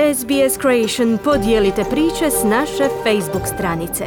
SBS Creation, podijelite priče s naše Facebook stranice.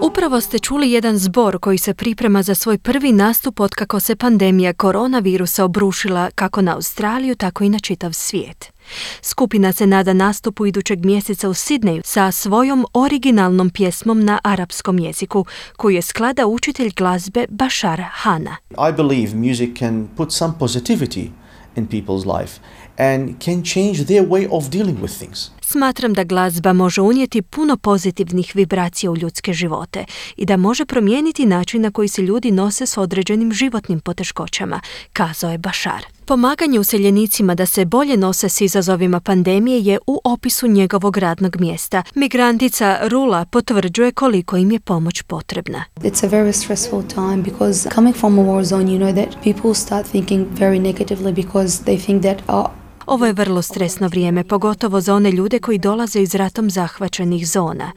Upravo ste čuli jedan zbor koji se priprema za svoj prvi nastup otkako se pandemija koronavirusa obrušila kako na Australiju, tako i na čitav svijet. Skupina se nada nastupu idućeg mjeseca u Sidneju sa svojom originalnom pjesmom na arapskom jeziku, koju je sklada učitelj glazbe Bashar Hanna. I believe music can put some positivity in people's life and can change their way of dealing with things. Smatram da glazba može unijeti puno pozitivnih vibracija u ljudske živote i da može promijeniti način na koji se ljudi nose s određenim životnim poteškoćama, kazao je Bashar. Pomaganje useljenicima da se bolje nose s izazovima pandemije je u opisu njegovog radnog mjesta. Migrantica Rula potvrđuje koliko im je pomoć potrebna. It's a very stressful time because coming from a war zone, you know that people start thinking very negatively because they think that Ovo je vrlo stresno vrijeme, pogotovo za one ljude koji dolaze iz ratom zahvaćenih zona.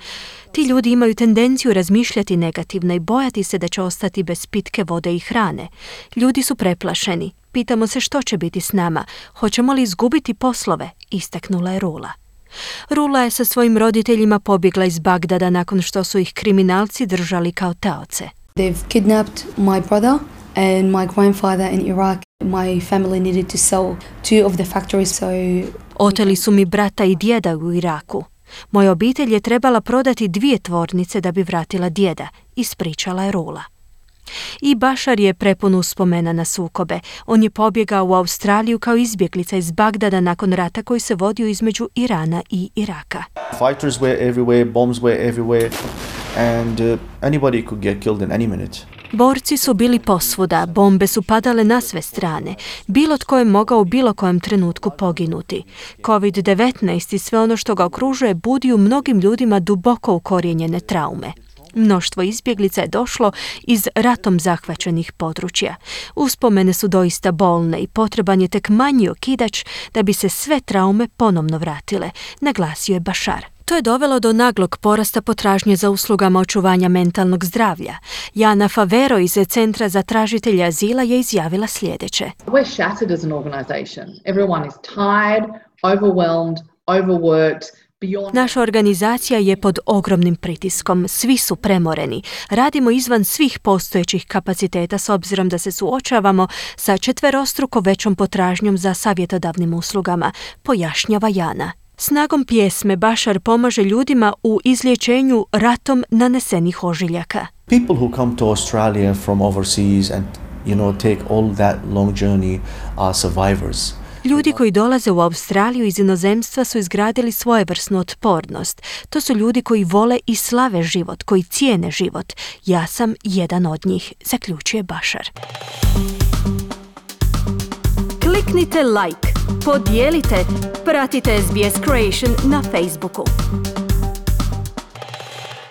Ti ljudi imaju tendenciju razmišljati negativno i bojati se da će ostati bez pitke vode i hrane. Ljudi su preplašeni. Pitamo se što će biti s nama. Hoćemo li izgubiti poslove? Istaknula je Rula. Rula je sa svojim roditeljima pobjegla iz Bagdada nakon što su ih kriminalci držali kao taoce. They've kidnapped my brother and my grandfather in Iraq. My family needed to sell 2 of the factories, so... Oteli su mi brata i djeda u Iraku. Moja obitelj je trebala prodati 2 tvornice da bi vratila djeda, ispričala je Rula. I Bashar je prepun uspomena na sukobe. On je pobjegao u Australiju kao izbjeglica iz Bagdada nakon rata koji se vodio između Irana i Iraka. Fighters were everywhere, bombs were everywhere, and anybody could get killed in any minute. Borci su bili posvuda, bombe su padale na sve strane. Bilo tko je mogao u bilo kojem trenutku poginuti. COVID-19 i sve ono što ga okružuje budi u mnogim ljudima duboko ukorijenjene traume. Mnoštvo izbjeglica je došlo iz ratom zahvaćenih područja. Uspomene su doista bolne i potreban je tek manji okidač da bi se sve traume ponovno vratile, naglasio je Bashar. To je dovelo do naglog porasta potražnje za uslugama očuvanja mentalnog zdravlja. Jana Favero iz Centra za tražitelje azila je izjavila sljedeće. We're shattered as an organization. Everyone is tired, overwhelmed, overworked. Naša organizacija je pod ogromnim pritiskom, svi su premoreni. Radimo izvan svih postojećih kapaciteta s obzirom da se suočavamo sa 4-struko većom potražnjom za savjetodavnim uslugama, pojašnjava Jana. Snagom pjesme Bashar pomaže ljudima u izliječenju ratom nanesenih ožiljaka. People who come to Australia from overseas and take all that long journey are survivors. Ljudi koji dolaze u Australiju iz inozemstva su izgradili svojevrsnu otpornost. To su ljudi koji vole i slave život, koji cijene život. Ja sam jedan od njih, zaključuje Bashar. Kliknite like, podijelite, pratite SBS Creation na Facebooku.